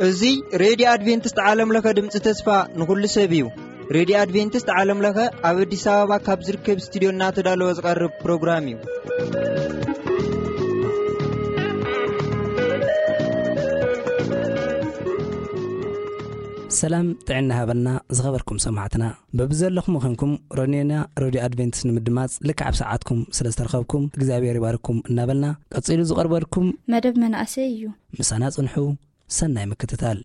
እዚ ሬድዮ ኣድቬንቲስት ዓለም ለኸ ድምፂ ተስፋ ንኹሉ ሰብ እዩ። ሬድዮ ኣድቬንቲስት ዓለም ለኸ ኣብ ኣዲስ ኣበባ ካብ ዝርከብ ስቱዲዮ እናተዳለወ ዝቐርብ ፕሮግራም እዩ። ሰላም ጥዕና ሃበልና ዝኸበርኩም ሰማዕትና። በብዘለኹም ኾንኩም ሮኔና ሬድዮ ኣድቬንቲስት ንምድማፅ ልክዕ ኣብ ሰዓትኩም ስለ ዝተረኸብኩም እግዚኣብሔር ይባርኩም እናበልና፣ ቀፂሉ ዝቐርበልኩም መደብ መናእሰይ እዩ። ምሳና ጽንሑ። ሰናይ ምክትታል።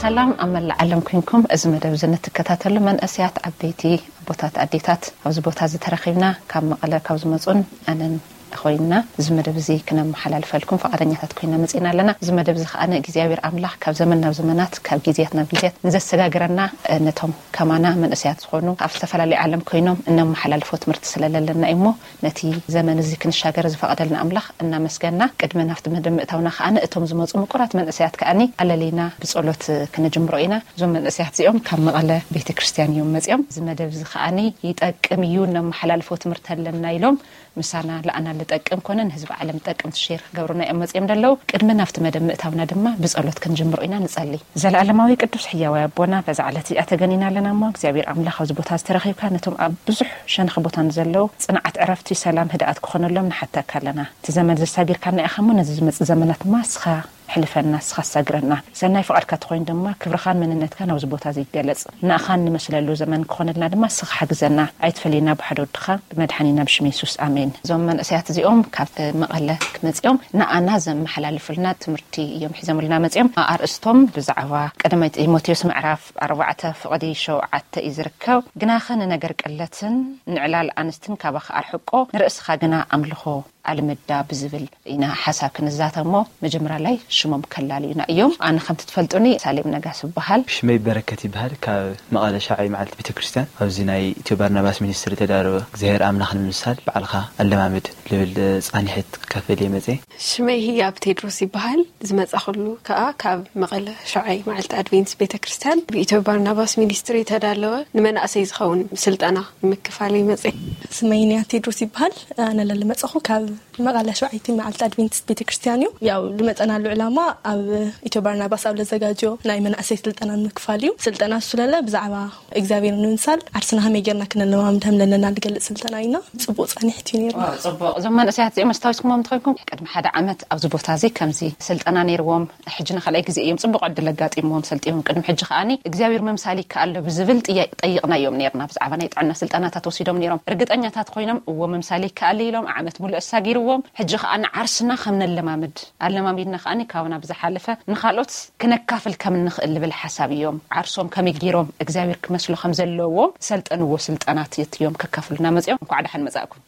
ሰላም ኣብ መላእ ዓለም ኮንኩም እዚ መደብ እዚ ንትከታተሉ መንእሰያት፣ ዓበይቲ፣ ኣቦታት፣ ኣዴታት፣ ኣብዚ ቦታ እዚ ተረኺብና ካብ መቐለ ካብ ዝመፁን ኣነን ኮይንና እዚ መደብ እዚ ክነመሓላልፈልኩም ፈቓደኛታት ኮይና መፂና ኣለና። እዚ መደብ እዚ ከኣ እግዚኣብሔር ኣምላኽ ካብ ዘመን ናብ ዘመናት ካብ ግዜያት ናብ ግዜያት ንዘሰጋግረና፣ እ፣ ነቶም ከማና መንእሰያት ዝኾኑ ኣብ ዝተፈላለዩ ዓለም ኮይኖም እነመሓላልፎ ትምህርቲ ስለ ለለና እዩ እሞ ነቲ ዘመን እዚ ክንሻገር ዝፈቐደልና ኣምላኽ እናመስገና፣ ቅድሚ ናብቲ መደብ ምእታውና ከኣ እቶም ዝመፁ ምቁራት መንእሰያት ከኣ ኣለሊና ብጸሎት ክነጅምሮ ኢና። እዞም መንእሰያት እዚኦም ካብ መቐለ ቤተ ክርስቲያን እዮም መፂኦም። እዚ መደብ እዚ ከኣ ይጠቅም እዩ፣ እነመሓላልፎ ትምህርቲ ኣለና ኢሎም ምሳና ለኣና ልጠቅም ኮነ ንህዝቢ ዓለም ጠቅምቲ ሼር ክገብሩና እዮም መፅኦም ደለዉ። ቅድሚ ናብቲ መደብ ምእታውና ድማ ብጸሎት ክንጅምሮ ኢና። ንጸሊ። ዘለዓለማዊ ቅዱስ ሕያዋይ ኣቦና፣ በዛ ዕለት እዚኣ ተገኒና ኣለና እሞ እግዚኣብሔር ኣምላኽ ኣብዚ ቦታ ዝተረኺብካ ነቶም ኣብ ብዙሕ ሸነኽ ቦታ ንዘለዉ ጽንዓት፣ ዕረፍቲ፣ ሰላም፣ ህድኣት ክኾነሎም ንሓተካ ኣለና። እቲ ዘመን ዘሳጊርካና ኢኻ እሞ ነዚ ዝመጽእ ዘመናት ድማ ንስኻ ሕልፈና፣ ንስኻ ኣሳግረና። ሰናይ ፍቓድካ ተኾይኑ ድማ ክብርኻን መንነትካን ኣብዚ ቦታ እዚ ይገለጽ። ንኣኻ እንመስለሉ ዘመን ክኾነልና ድማ ንስኻ ሓግዘና። ኣይትፈለየና ብሓደ ወድኻ ብመድሓኒና ብሽም የሱስ ኣሜን። እዞም መንእሰያት እዚኦም ካብ መቐለ ክመጺኦም ንኣና ዘመሓላልፉልና ትምህርቲ እዮም ሒዞምልና መጺኦም። ኣርእስቶም ብዛዕባ ቀዳማይ ጢሞቴዎስ ምዕራፍ ኣርባዕተ ፍቕዲ ሸውዓተ እዩ ዝርከብ። ግናኸ ንነገር ቅለትን ንዕላል ኣንስትን ካባኻ ኣርሕቆ፣ ንርእስኻ ግና ኣምልኾ ኣልምዳ ብዝብል ኢና ሓሳብ ክንዛተሞ። መጀመርያ ላይ ሽሞም ከላልዩና እዮም። ኣነ ከምቲ ትፈልጡኒ ሳሌም ነጋስ ይበሃል። ሽመይ በረከት ይበሃል። ካብ መቐለ ሻውዓይ መዓልቲ ቤተክርስትያን ኣብዚ ናይ ኢትዮ ባርናባስ ሚኒስትሪ ተዳለወ እግዚኣብሔር ኣምላኽ ንምምሳል ባዕልኻ ኣለማምድ ልብል ጻኒሕት ክካፈል እየ መጸ። ሽመይ ህያብ ቴድሮስ ይበሃል። ዝመጻኹሉ ከኣ ካብ መቐለ ሻውዓይ መዓልቲ ኣድቬንትስ ቤተክርስትያን ብኢትዮ ባርናባስ ሚኒስትሪ ተዳለወ ንመናእሰይ ዝኸውን ስልጠና ንምክፋል ይመጸ። ስመይ ንያ ቴድሮስ ይበሃል። ኣነ ለልመጻኹ ካብ መቐለ ሸውዓይቲ መዓልቲ ኣድቬንቲስት ቤተክርስትያን እዩ። ያው ዝመጸናሉ ዕላማ ኣብ ኢትዮ ባርናባስ ኣብ ለዘጋጆ ናይ መናእሰይ ስልጠና ንምክፋል እዩ። ስልጠና እሱ ለለ ብዛዕባ እግዚኣብሔር ንምምሳል ዓርስና ከመይ ጌርና ክነለማምድ ከም ለለና ዝገልጽ ስልጠና ኢና። ጽቡቕ ጻኒሕት እዩ ነይሩ። ዋው፣ ጽቡቕ። እዞም መንእሰያት እዚኦም ኣስታዊስኩሞም እንተኾይንኩም ቅድሚ ሓደ ዓመት ኣብዚ ቦታ እዚ ከምዚ ስልጠና ነይርዎም። ሕጂ ንኻልኣይ ግዜ እዮም ጽቡቕ ዕድል ኣጋጢምዎም ሰልጢኖም። ቅድሚ ሕጂ ከኣኒ እግዚኣብሔር ምምሳል ይከኣል ዶ ብዝብል ጥያ-፣ ጠይቕናዮም ነይርና። ብዛዕባ ናይ ጥዕና ስልጠናታት ወሲዶም ነይሮም። ርግጠኛታት ኮይኖም እዎ ምምሳል ይከኣል ኢሎም ዓመት ሙሉእ ኣሳጊርዎም። ሕጂ ከኣ ንዓርስና ከም ነለማምድ ኣለማሚድና ከኣኒ ካብና ብዝሓለፈ ንኻልኦት ክነካፍል ከም እንኽእል ልብል ሓሳብ እዮም። ዓርሶም ከመይ ገይሮም እግዚኣብሔር ክመስሉ ከም ዘለዎም ሰልጠንዎ ስልጠናት እዮም ከካፍሉና መጺኦም። እንኳዕ ደሓን መጻእኩም።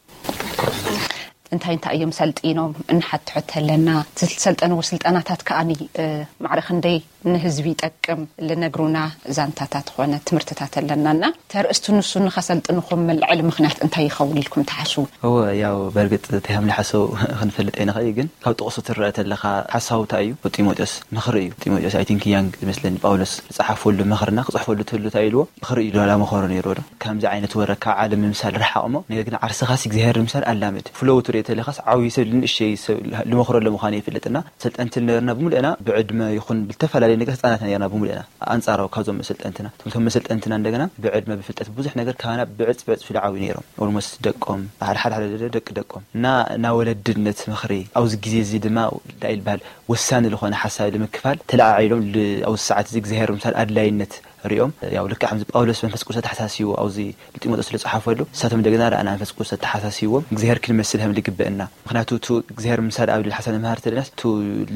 እንታይ እንታይ እዮም ሰልጢኖም እንሓትሖ ተለና፣ ዝሰልጠንዎ ስልጠናታት ከኣኒ፣ እ፣ ማዕረ ክንደይ ንህዝቢ ይጠቅም ልነግሩና ዛንታታት ኾነ ትምህርትታት ኣለና እና ተርእስቱ ንሱ ንኸሰልጥንኹም መልዕሊ ምኽንያት እንታይ ይኸውን ኢልኩም ትሓስቡ? እወ፣ ያው በርግጥ እንታይ ከም ንሓስቡ ክንፈልጥ ኣይንኽእል፣ ግን ካብ ጥቕሱ ትረአ ተለኻ ሓሳውታ እዩ። ጢሞቴዎስ ምኽሪ እዩ። ጢሞቴዎስ፣ I think፣ ያንግ ዝመስለኒ ጳውሎስ ዝጸሓፈሉ ምኽርና ክጽሕፈሉ ትህሉ እንታይ ኢልዎ? ምኽሪ እዩ፣ ዶላ መኸሮ ነይርዎ ዶ? ከምዚ ዓይነት ወረ ካብ ዓለም ምምሳል ርሓቕ እሞ፣ ነገር ግን ዓርስኻሲ እግዚኣብሔር ምምሳል ኣላምድ። ፍለው ትሪኦ ተለኻስ ዓብዪ ሰብ ንእሽተይ ሰብ ልመኽረሉ ምዃኑ ይፍለጥና። ሰልጠንቲ ነርና ብምሉእና ብዕድመ ይኹን ብልተፈላለየ ነገር ህፃናት ነርና ብምሉእና። ኣንጻራዊ ካብዞም መሰልጠንትና፣ እቶም መሰልጠንትና እንደገና ብዕድመ ብፍልጠት ብዙሕ ነገር ካባና ብዕጽ ብዕጽ ፍልዓዊ ነይሮም። ኦልሞስት ደቆም፣ ሓደ ሓደ ሓደ ደቂ ደቆም። እና፣ እና ወለድነት ምኽሪ ኣብዚ ግዜ እዚ ድማ እንታይ ይበሃል ወሳኒ ዝኾነ ሓሳብ ንምክፋል ተለዓዒሎም ል-፣ ኣብዚ ሰዓት እዚ እግዚኣብሔር ምምሳል ኣድላይነት ሪኦም ያው ልክዕ ከምዚ ጳውሎስ መንፈስ ቅዱስ ኣተሓሳሲዎ ኣብዚ ንጢሞቴዎስ ዝለጽሓፈሉ ንሳቶም እንደገና ረኣና መንፈስ ቅዱስ ኣተሓሳሲዎም እግዚኣብሔር ክንመስል ከም ዝግበእና ምክንያቱ እቲ እግዚኣብሔር ምሳል ኣብ ልብል ሓሳብ ንምሃር ተለና እቲ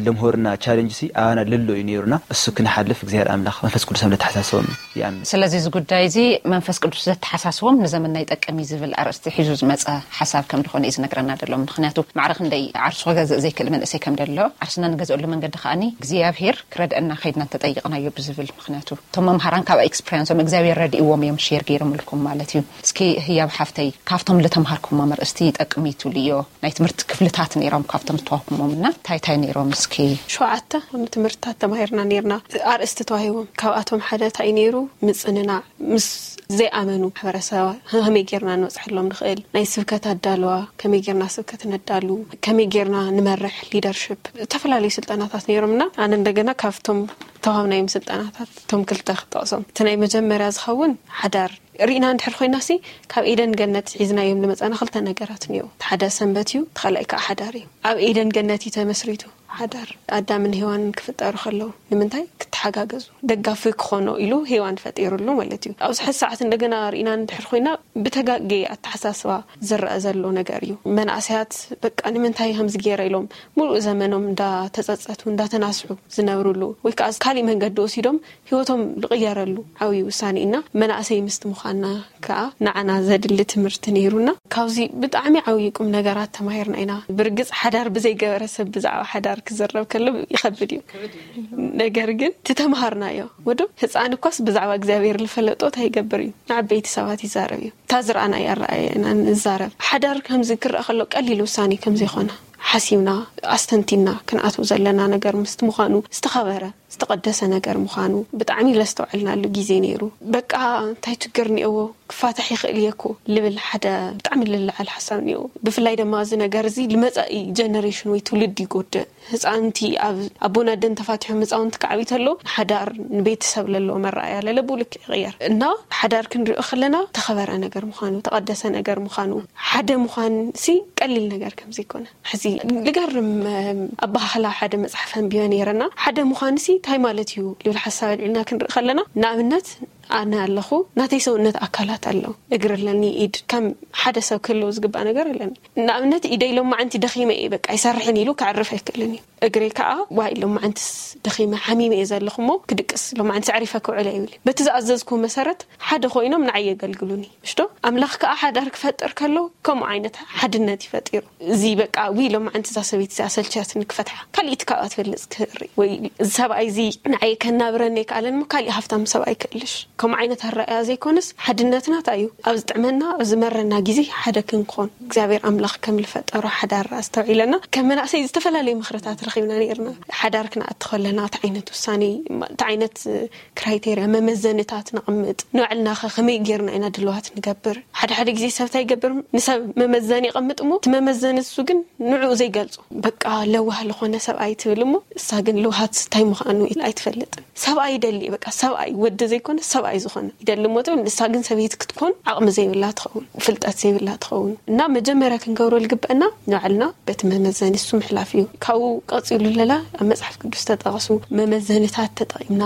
ለምሆርና ቻለንጅ ሲ ኣባና ልሎ እዩ ነይሩና እሱ ክንሓልፍ እግዚኣብሔር ኣምላኽ መንፈስ ቅዱስ ከም ዘተሓሳስቦም ይኣምን። ስለዚ እዚ ጉዳይ እዚ መንፈስ ቅዱስ ዘተሓሳስቦም ንዘመንና ይጠቅም እዩ ዝብል ኣርእስቲ ሒዙ ዝመፀ ሓሳብ ከም ዝኾነ እዩ ዝነግረና ዘሎ። ምክንያቱ ማዕረ ክንደይ ዓርሱ ክገዝእ ዘይክእል መንእሰይ ከም ደሎ ዓርስና ንገዝአሉ መንገዲ ከዓኒ እግዚኣብሔር ክረድአና ከይድና እንተጠይቕናዮ ብዝብል ምክንያቱ እቶም መምሃራን ካብ ኤክስፕሪንሶም እግዚኣብሔር ረድእዎም እዮም ሼር ገይሮምልኩም ማለት እዩ። እስኪ ህያብ ሓፍተይ ካብቶም ልተምሃርኩሞ መርእስቲ ይጠቅም እዩ ትብልዮ ናይ ትምህርቲ ክፍልታት ነይሮም ካብቶም ዝተዋኩሞም እና እንታይ እንታይ ነይሮም እስኪ? ሸውዓተ ትምህርትታት ተማሂርና ነርና ኣርእስቲ ተዋሂቦም ካብኣቶም ሓደ እንታይ ነይሩ ምፅንናዕ ምስ ዘይኣመኑ ማሕበረሰባ ከመይ ጌርና ንበፅሐሎም ንኽእል ናይ ስብከት ኣዳለዋ ከመይ ጌርና ስብከት ነዳሉ ከመይ ጌርና ንመርሕ ሊደርሽፕ ዝተፈላለዩ ስልጠናታት ነይሮምና ኣነ እንደገና ካብቶም ተዋሃብናዮም ስልጠናታት እቶም ክልተ ክጠቕሶም እቲ ናይ መጀመርያ ዝኸውን ሓዳር ርኢና እንድሕር ኮይና ሲ ካብ ኤደን ገነት ሒዝናዮም ዝመፃና ክልተ ነገራት እኒኦ ሓደ ሰንበት እዩ ተኻላይ ከዓ ሓዳር እዩ ኣብ ኤደን ገነት እዩ ተመስሪቱ ሓዳር ኣዳምን ሄዋንን ክፍጠሩ ከለዉ ንምንታይ ክተሓጋገዙ ደጋፊ ክኾኖ ኢሉ ሄዋን ፈጢሩሉ ማለት እዩ ኣብዚ ሕዚ ሰዓት እንደገና ርኢና እንድሕር ኮይና ብተጋጌ ኣተሓሳስባ ዝረአ ዘሎ ነገር እዩ መናእሰያት በቃ ንምንታይ ከምዚ ገይረ ኢሎም ሙሉእ ዘመኖም እንዳተፀፀቱ እንዳተናስሑ ዝነብሩሉ ወይ ከዓ ካሊእ መንገዲ ወሲዶም ህይወቶም ዝቕየረሉ ዓብዪ ውሳኔ ኢና መናእሰይ ምስቲ ምዃንና ከዓ ንዓና ዘድሊ ትምህርቲ ነይሩና ካብዚ ብጣዕሚ ዓብዪ ቁም ነገራት ተማሂርና ኢና ብርግፅ ሓዳር ብዘይገበረ ሰብ ብዛዕባ ሓዳር ክዝረብ ከሎ ይኸብድ እዩ ነገር ግን ትተምሃርናዮ ወዶ ህፃን እኳስ ብዛዕባ እግዚኣብሔር ዝፈለጦ እንታይ ይገብር እዩ ንዓበይቲ ሰባት ይዛረብ እዩ እታ ዝረኣናዮ ኣረኣየ ኢና ንዛረብ ሓዳር ከምዚ ክረአ ከሎ ቀሊል ውሳኔ ከምዘይኮነ ሓሲብና ኣስተንቲና ክንኣትው ዘለና ነገር ምስቲ ምዃኑ ዝተኸበረ ዝተቐደሰ ነገር ምዃኑ ብጣዕሚ ለስተውዐልናሉ ግዜ ነይሩ። በቃ እንታይ ችግር እኒኦዎ ክፋታሕ ይኽእል እየ እኮ ልብል ሓደ ብጣዕሚ ልልዓል ሓሳብ እኒኦዎ። ብፍላይ ድማ እዚ ነገር እዚ ልመፃኢ ጀነሬሽን ወይ ትውልዲ ይጎድእ። ህፃውንቲ ኣብ ኣቦን ኣደን ተፋቲሖም ህፃውንቲ ክዓብዩ ተለዉ ንሓዳር ንቤተሰብ ለለዎም ኣረኣእያ ለለብኡ ልክዕ ይቕየር እና ሓዳር ክንሪኦ ከለና ተኸበረ ነገር ምዃኑ ተቐደሰ ነገር ምዃኑ ሓደ ምዃን ሲ ቀሊል ነገር ከምዘይኮነ ሕዚ ልገርም ኣባህላ ሓደ መፅሓፍ ኣንቢበ ነይረና ሓደ ምዃንሲ እንታይ ማለት እዩ ልብል ሓሳብ ኣልዕልና ክንርኢ ከለና ንኣብነት ኣነ ኣለኹ ናተይ ሰውነት ኣካላት ኣሎ እግር ኣለኒ ኢድ ከም ሓደ ሰብ ክህልዎ ዝግባእ ነገር ኣለኒ ንኣብነት ኢደይ ሎማዓንቲ ደኺመ እየ በቃ ይሰርሕን ኢሉ ክዕርፍ ኣይክእልን እዩ እግረይ ከዓ ዋይ ሎማዓንትስ ደኺመ ሓሚመ እየ ዘለኹ እሞ ክድቅስ ሎማዓንትስ ኣዕሪፈ ክውዕል እየ ይብል በቲ ዝኣዘዝኩ መሰረት ሓደ ኮይኖም ንዓይ የገልግሉኒ እሽዶ ኣምላኽ ከዓ ሓዳር ክፈጥር ከሎ ከምኡ ዓይነት ሓድነት እዩ ፈጢሩ እዚ በቃ ዊ ሎማዓንቲ እዛ ሰበይቲ እዚኣ ሰልችያትኒ ክፈትሓ ካሊእቲ ካብኣ ትበልፅ ክርኢ ወይ እዚ ሰብኣይ እዚ ንዓይ ከናብረኒ ኣይከኣለን እሞ ካሊእ ሃፍታም ሰብኣይ ክእልሽ ከምኡ ዓይነት ኣረኣያ ዘይኮነስ ሓድነትና እንታይ እዩ ኣብ ዝጥዕመና ኣብ ዝመረና ግዜ ሓደ ክንኮን እግዚኣብሔር ኣምላኽ ከም ዝፈጠሮ ሓዳር ኣስተውዒለና ከም መናእሰይ ዝተፈላለዩ ምኽርታት ረኺብና ነይርና ሓዳር ክንኣቲ ከለና እቲ ዓይነት ውሳኔ እቲ ዓይነት ክራይቴርያ መመዘንታት ነቕምጥ ንባዕልና ኸ ከመይ ጌርና ኢና ድልዋት ንገብር ሓደ ሓደ ግዜ ሰብ እንታይ ይገብር ንሰብ መመዘኒ የቐምጥ እሞ እቲ መመዘኒ እሱ ግን ንዕኡ ዘይገልጾ በቃ ለዋህ ዝኾነ ሰብኣይ ትብል እሞ እሳ ግን ልውሃት እንታይ ምዃኑ ኣይትፈልጥን ሰብኣይ ይደሊ በቃ ሰብኣይ ወዲ ዘይኮነ ሰብኣይ ዝኾነ ይደሊ እሞ ትብል ንሳ ግን ሰበይቲ ክትኮን ዓቕሚ ዘይብላ ትኸውን ፍልጠት ዘይብላ ትኸውን እና መጀመርያ ክንገብሮ ዝግበአና ንባዕልና በቲ መመዘኒ እሱ ምሕላፍ እዩ ካብኡ ቀፂሉ ለላ ኣብ መፅሓፍ ቅዱስ ተጠቐሱ መመዘንታት ተጠቒምና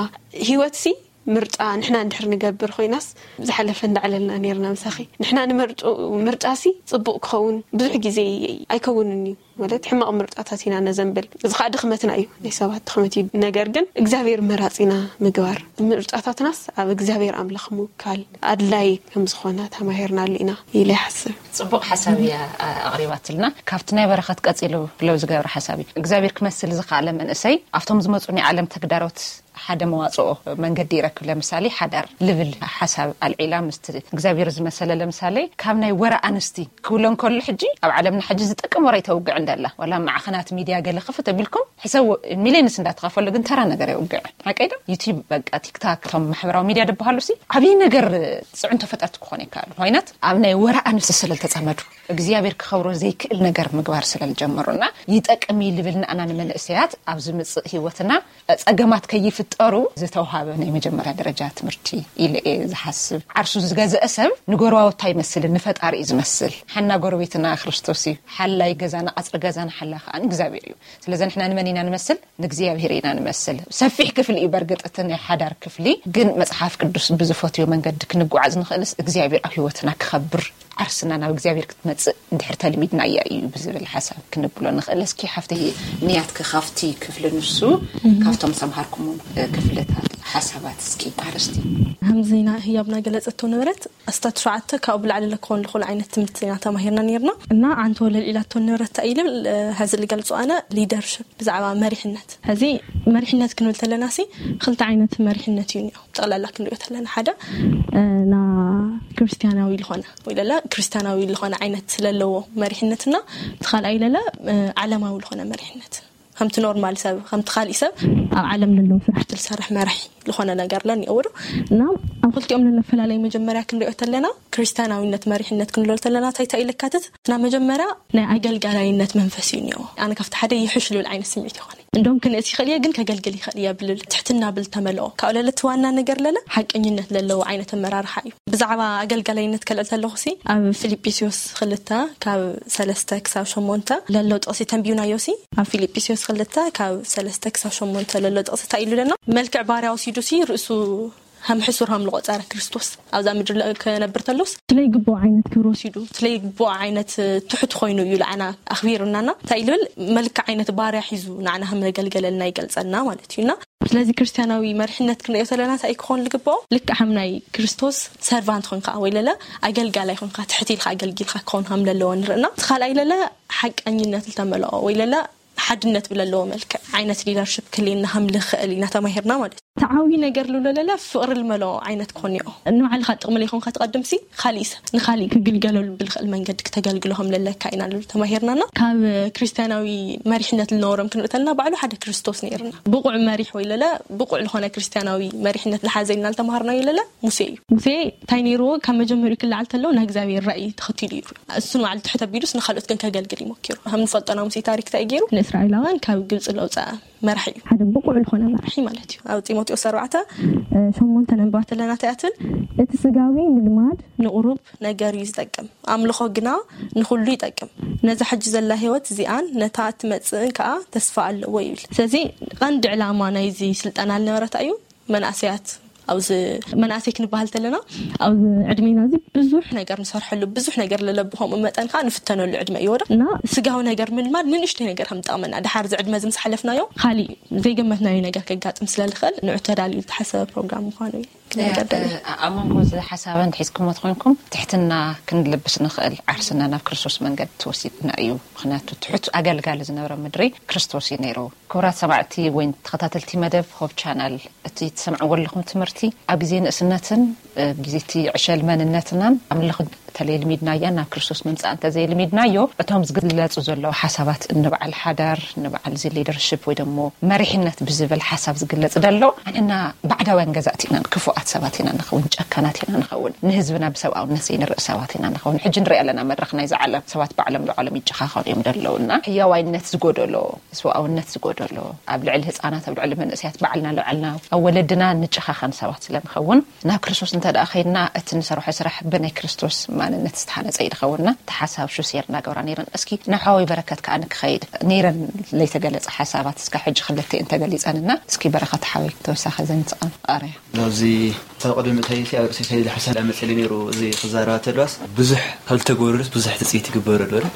ህይወትሲ ምርጫ ንሕና እንድሕር ንገብር ኮይናስ ዝሓለፈ እንዳዕለልና ነርና ምሳኺ ንሕና ንመርጡ ምርጫሲ ፅቡቅ ክኸውን ብዙሕ ግዜ ኣይከውንን እዩ ማለት ሕማቕ ምርጫታት ኢና ነዘንብል እዚ ከዓ ድኽመትና እዩ ናይ ሰባት ድኽመት እዩ ነገር ግን እግዚኣብሔር መራፂና ምግባር ምርጫታትናስ ኣብ እግዚኣብሔር ኣምላኽ ምውካል ኣድላይ ከም ዝኾነ ተማሂርናሉ ኢና ኢለ ይሓስብ ፅቡቅ ሓሳብ እያ ኣቕሪባትልና ካብቲ ናይ በረኸት ቀፂሉ ብለው ዝገብረ ሓሳብ እዩ እግዚኣብሔር ክመስል ዝኸኣለ መንእሰይ ኣብቶም ዝመፁ ናይ ዓለም ተግዳሮት ሓደ መዋፅኦ መንገዲ ይረክብ ለምሳሌ ሓዳር ልብል ሓሳብ ኣልዒላ ምስቲ እግዚኣብሔር ዝመሰለ ለምሳሌ ካብ ናይ ወረ ኣንስቲ ክብሎ እንከሎ ሕጂ ኣብ ዓለምና ሕጂ ዝጠቅም ወረ ይተውግዕ እንደላ ዋላ ማዕኸናት ሚድያ ገለ ክፍት ኣቢልኩም ሕሰብ ሚሊዮንስ እንዳተኸፈሉ ግን ተራ ነገር የውግዕ ሓቀይ ዶ ዩቲብ በቃ ቲክታክ እቶም ማሕበራዊ ሚድያ ዝበሃሉ ሲ ዓብዪ ነገር ፅዕንቶ ፈጠርቲ ክኾን ይከኣሉ ኮይናት ኣብ ናይ ወረ ኣንስቲ ስለ ዝተፀመዱ እግዚኣብሔር ክኸብሮ ዘይክእል ነገር ምግባር ስለ ዝጀመሩ እና ይጠቅም እዩ ልብል ንኣና ንመንእሰያት ኣብ ዝምፅእ ህይወትና ፀገማት ከይፍት ጠሩ ዝተውሃበ ናይ መጀመርያ ደረጃ ትምህርቲ ኢለ እየ ዝሓስብ። ዓርሱ ዝገዘአ ሰብ ንጎረባብቱ ኣይመስልን፣ ንፈጣሪ እዩ ዝመስል። ሓና ጎረቤትና ክርስቶስ እዩ። ሓላይ ገዛና፣ ቀጽሪ ገዛና ሓላ ከኣ እግዚኣብሔር እዩ። ስለዚ ንሕና ንመን ኢና ንመስል? ንእግዚኣብሔር ኢና ንመስል። ሰፊሕ ክፍሊ እዩ በርግጥ እቲ ናይ ሓዳር ክፍሊ፣ ግን መጽሓፍ ቅዱስ ብዝፈትዮ መንገዲ ክንጓዓዝ ንኽእልስ እግዚኣብሔር ኣብ ህይወትና ክኸብር፣ ዓርስና ናብ እግዚኣብሔር ክትመጽእ እንድሕር ተልሚድናያ እዩ ብዝብል ሓሳብ ክንብሎ ንኽእል። እስኪ ሓፍተይ ንያትኪ ካብቲ ክፍሊ ንሱ ካብቶም ሰምሃርኩሞም ክፍልታት ሓሳባት እስኪ ኣርስቲ ከምዚ ና ህያብና ገለጸቶ ነበረት ኣስታት ሸዓተ ካብኡ ብላዕሊ ለክኾን ልኹል ዓይነት ትምህርቲ ኢና ተማሂርና ነርና እና ኣንተ ወለል ኢላቶ ነበረት ኢልብል ሀዚ ልገልጾ ኣነ ሊደርሽፕ ብዛዕባ መሪሕነት ሀዚ መሪሕነት ክንብል ተለና ሲ ክልተ ዓይነት መሪሕነት እዩ እኒኦ ጠቕላላ ክንሪኦ ተለና ሓደ እ፣ ና ክርስቲያናዊ ልኾነ ወይ ለለ ክርስቲያናዊ ልኾነ ዓይነት ስለለዎ መሪሕነትና እቲ ካልኣይ ለለ እ፣ ዓለማዊ ልኾነ መሪሕነት ከምቲ ኖርማል ሰብ ከምቲ ካሊእ ሰብ ኣብ ዓለም ለለዉ ስራሕቲ ልሰርሕ መራሒ ዝኾነ ነገር ለኒኦ ውዶ እና ኣብ ክልቲኦም ለለ ኣፈላለይ መጀመርያ ክንሪኦ ተለና ክርስቲያናዊነት መሪሕነት ክንብሎ ተለና እንታይ እንታይ ለካትት እና መጀመርያ ናይ ኣገልጋላይነት መንፈስ እዩ እኒኦ ኣነ ካብቲ ሓደ ይሕሽ ልብል ዓይነት ስምዒት ይኾነ እንደም ክንእስ ይኽእል እየ ግን ከገልግል ይኽእል እየ ብልብል ትሕትና ብል ተመልኦ ካብኡ ለለ እቲ ዋና ነገር ለለ ሓቀኝነት ለለዎ ዓይነት ኣመራርሓ እዩ ብዛዕባ ኣገልጋላይነት ከልዕል ተለኹ ሲ ኣብ ፊልጵስዮስ ክልተ ካብ ሰለስተ ክሳብ ሸሞንተ ለሎ ጥቕሲ ተንቢዩናዮ ሲ ኣብ ፊልጵስዮስ ክልተ ካብ ሰለስተ ክሳብ ሸሞንተ ለሎ ጥቕሲ እንታይ ኢሉ ለና መልክዕ ባርያ ወሲዱ ሲ ርእሱ ከም ሕሱር ከም ልቆጸረ ክርስቶስ ኣብዛ ምድሪ ለ- ክነብር ተሎስ ስለይ ግቡእ ዓይነት ክብሪ ወሲዱ ስለይ ግቡእ ዓይነት ትሑት ኮይኑ እዩ ለዓና ኣኽቢሩናና እንታይ ኢልብል መልክዕ ዓይነት ባርያ ሒዙ ንዓና ከም ዘገልገለልና ይገልጸልና ማለት እዩና ስለዚ ክርስቲያናዊ መሪሕነት ክንሪኦ ዘለና እንታይ ክኾን ዝግብኦ ልክዕ ከም ናይ ክርስቶስ ሰርቫንት ኮንካ ወይ ለለ ኣገልጋላይ ኮንካ ትሕት ኢልካ ኣገልጊልካ ክኾን ከም ለለዎ ንርእና እቲ ካልኣይ ለለ ሓቀኝነት ዝተመልኦ ወይ ለለ ሓድነት ብለለዎ መልክዕ ዓይነት ሊደርሽፕ ክልየና ከም ልኽእል ኢና ተማሂርና ማለት እዩ ተዓዊ ነገር ልብሎ ለለ ፍቕሪ ልመልኦ ዓይነት ክኾን እዮ ንባዕልካ ጥቕሚ ለይኮንካ ትቐድም ሲ ካሊእ ሰብ ንካሊእ ክግልገለሉ ብልኽእል መንገዲ ክተገልግሎ ከም ለለካ ኢና ልብል ተማሂርናና ካብ ክርስቲያናዊ መሪሕነት ልነበሮም ክንርኢ ተለና ባዕሉ ሓደ ክርስቶስ ነይርና ብቑዕ መሪሕ ወይ ለለ ብቑዕ ዝኾነ ክርስቲያናዊ መሪሕነት ዝሓዘ ኢልና ልተማሃርናዮ ለለ ሙሴ እዩ ሙሴ እንታይ ነይርዎ ካብ መጀመሪኡ ክለዓል ተለዎ ናይ እግዚኣብሔር ራእይ ተኸቲሉ እዩ እሱ ንባዕሉ ትሕት ኣቢሉስ ንካልኦት ግን ከገልግል ይሞኪሩ ከም ንፈልጦ ናይ ሙሴ ታሪክ እንታይ ገይሩ ንእስራኤላውያን ካብ ግብፂ ለውፀ መራሒ እዩ ሓደ ብቑዕ ዝኾነ መራሒ ማለት እዩ ኣብ ጢሞቴዎስ ኣርባዕተ ሸሞንተ ነንባ ተለና እንታይ ትብል እቲ ስጋዊ ምልማድ ንቑሩብ ነገር እዩ ዝጠቅም ኣምልኾ ግና ንኹሉ ይጠቅም ነዛ ሕጂ ዘላ ህይወት እዚኣን ነታ እትመፅእን ከዓ ተስፋ ኣለዎ ይብል ስለዚ ቀንዲ ዕላማ ናይዚ ስልጠና ልነበረታ እዩ መናእሰያት ኣብዚ መናእሰይ ክንበሃል ተለና ኣብዚ ዕድሜና እዚ ብዙሕ ነገር ንሰርሐሉ ብዙሕ ነገር ለለብኸምኡ መጠን ከዓ ንፍተነሉ ዕድመ እዩ ወዶ እና ስጋዊ ነገር ምልማድ ንንእሽተይ ነገር ከም ጠቕመና ድሓር እዚ ዕድመ እዚ ምስ ሓለፍናዮ ካሊእ ዘይገመትናዮ ነገር ከጋጥም ስለ ዝኽእል ንዑ ተዳልዩ ዝተሓሰበ ፕሮግራም ምዃኑ እዩ ክነገር ደሊ ኣብ መንጎ እዚ ሓሳብን ሒዝኩሞ ተኮንኩም ትሕትና ክንልብስ ንኽእል ዓርስና ናብ ክርስቶስ መንገዲ ተወሲድና እዩ ምክንያቱ ትሑት ኣገልጋሊ ዝነበረ ምድሪ ክርስቶስ እዩ ነይሩ ክቡራት ሰማዕቲ ወይ ተኸታተልቲ መደብ ሆብ ቻናል እቲ ትሰምዕዎ ኣለኹም ትምህርቲ ኣብ ግዜ ንእስነትን ግዜ እቲ ዕሸል መንነትናን ኣምልኽ ተለይልሚድናያ ናብ ክርስቶስ ምምፃእ እንተዘይልሚድናዮ እቶም ዝግለፁ ዘለዉ ሓሳባት ንበዓል ሓዳር ንበዓል እዚ ሊደርሽፕ ወይ ደሞ መሪሕነት ብዝብል ሓሳብ ዝግለፅ ደሎ ኣንሕና ባዕዳውያን ገዛእቲ ኢና ክፉኣት ሰባት ኢና ንኸውን ጨካናት ኢና ንኸውን ንህዝብና ብሰብኣውነት ዘይንርኢ ሰባት ኢና ንኸውን ሕጂ ንሪኢ ኣለና መድረኽ ናይዚ ዓለም ሰባት ባዕሎም ንባዕሎም ይጨኻኸኑ እዮም ደለዉ እና ሕያዋይነት ዝጎደሎ ሰብኣውነት ዝጎደሎ ኣብ ልዕሊ ህፃናት ኣብ ልዕሊ መንእሰያት ባዕልና ልዕልና ኣብ ወለድና ንጨኻኸን ሰባት ስለ ንኸውን ናብ ክርስቶስ እንተ ደኣ ኸይድና እቲ ንሰርሖ ስራሕ ብናይ ክርስቶስ ማንነት ዝተሃነፀ እዩ ዝኸውንና እቲ ሓሳብ ሹሴር እናገብራ ነይረን እስኪ ናብ ሓወይ በረከት ከዓ ንክኸይድ ነይረን ለይተገለፀ ሓሳባት እስካ ሕጂ ክልተ እየን ተገሊፀንና እስኪ በረከት ሓወይ ተወሳኺ ዘንፅቐን ቃርያ ኣብዚ ካብ ቅድሚ እንታይ ሲ ኣብ ርእሲ ከይድ ሓሳብ ዳመፀሊ ነይሩ እዚ ክዛረባ ተለዋስ ብዙሕ ካብ ዝተገብረሉስ ብዙሕ ትፅኢት ይግበረሉ ረ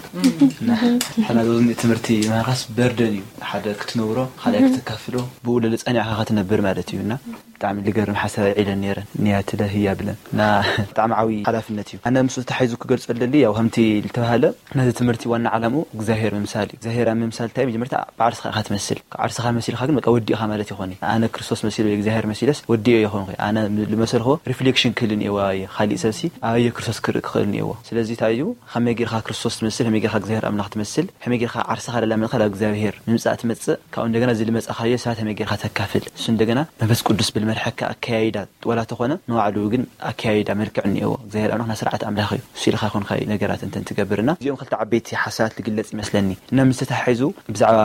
ሓና ዞዚ ትምህርቲ ምሃኻስ በርደን እዩ ሓደ ክትነብሮ ካልኣይ ክተካፍሎ ብኡ ልልፀኒዕኻ ክትነብር ማለት እዩ እና ብጣዕሚ ልገርም ሓሳብ ዒለን ነይረን ንያትለ ህያ ብለን እና ብጣዕሚ ዓብዪ ሓላፍነት እዩ ኣነ ምስ ተሓይዙ ክገልፀለሊ ያው ከምቲ ልተባሃለ ነዚ ትምህርቲ ዋና ዓላምኡ እግዚኣብሔር ምምሳል እዩ እግዚኣብሔር ኣብ ምምሳል እንታይ መጀመርታ ብዓርስኻ ኢኻ ትመስል ካብ ዓርስኻ መሲልካ ግን በቃ ወዲእኻ ማለት ይኾን እዩ ኣነ ክርስቶስ መሲሉ ወይ እግዚኣብሔር መሲለስ ወዲኦ ይኾንኩ ኣነ ልመሰልክዎ ሪፍሌክሽን ክህልን እየዋ እየ ካሊእ ሰብሲ ኣበየ ክርስቶስ ክርኢ ክኽእል እየዎ ስለዚ እንታይ እዩ ከመይ ጌርካ ክርስቶስ ትመስል ከመይ ጌርካ እግዚኣብሔር ኣምላኽ ትመስል ከመይ ጌርካ ዓርስኻ ለላመድካ ናብ እግዚኣብሔር ምምፃእ ትመፅእ ካብኡ እንደገና እዚ ልመፃኻዮ ሰባት ከመይ ጌርካ ተካፍል እሱ እንደገና መንፈስ ቅዱስ ብልመርሐካ ኣከያይዳ ዋላ ተኾነ ንባዕሉ ግን ኣከያይዳ መልክዕ እኒኦዎ እግዚኣብሔር ኣምላኽና ስርዓት ኣምላኽ እዩ እሱ ኢልካ ይኾንካ ነገራት እንተን ትገብርና እዚኦም ክልተ ዓበይቲ ሓሳባት ልግለፅ ይመስለኒ እና ምስ ተታሒዙ ብዛዕባ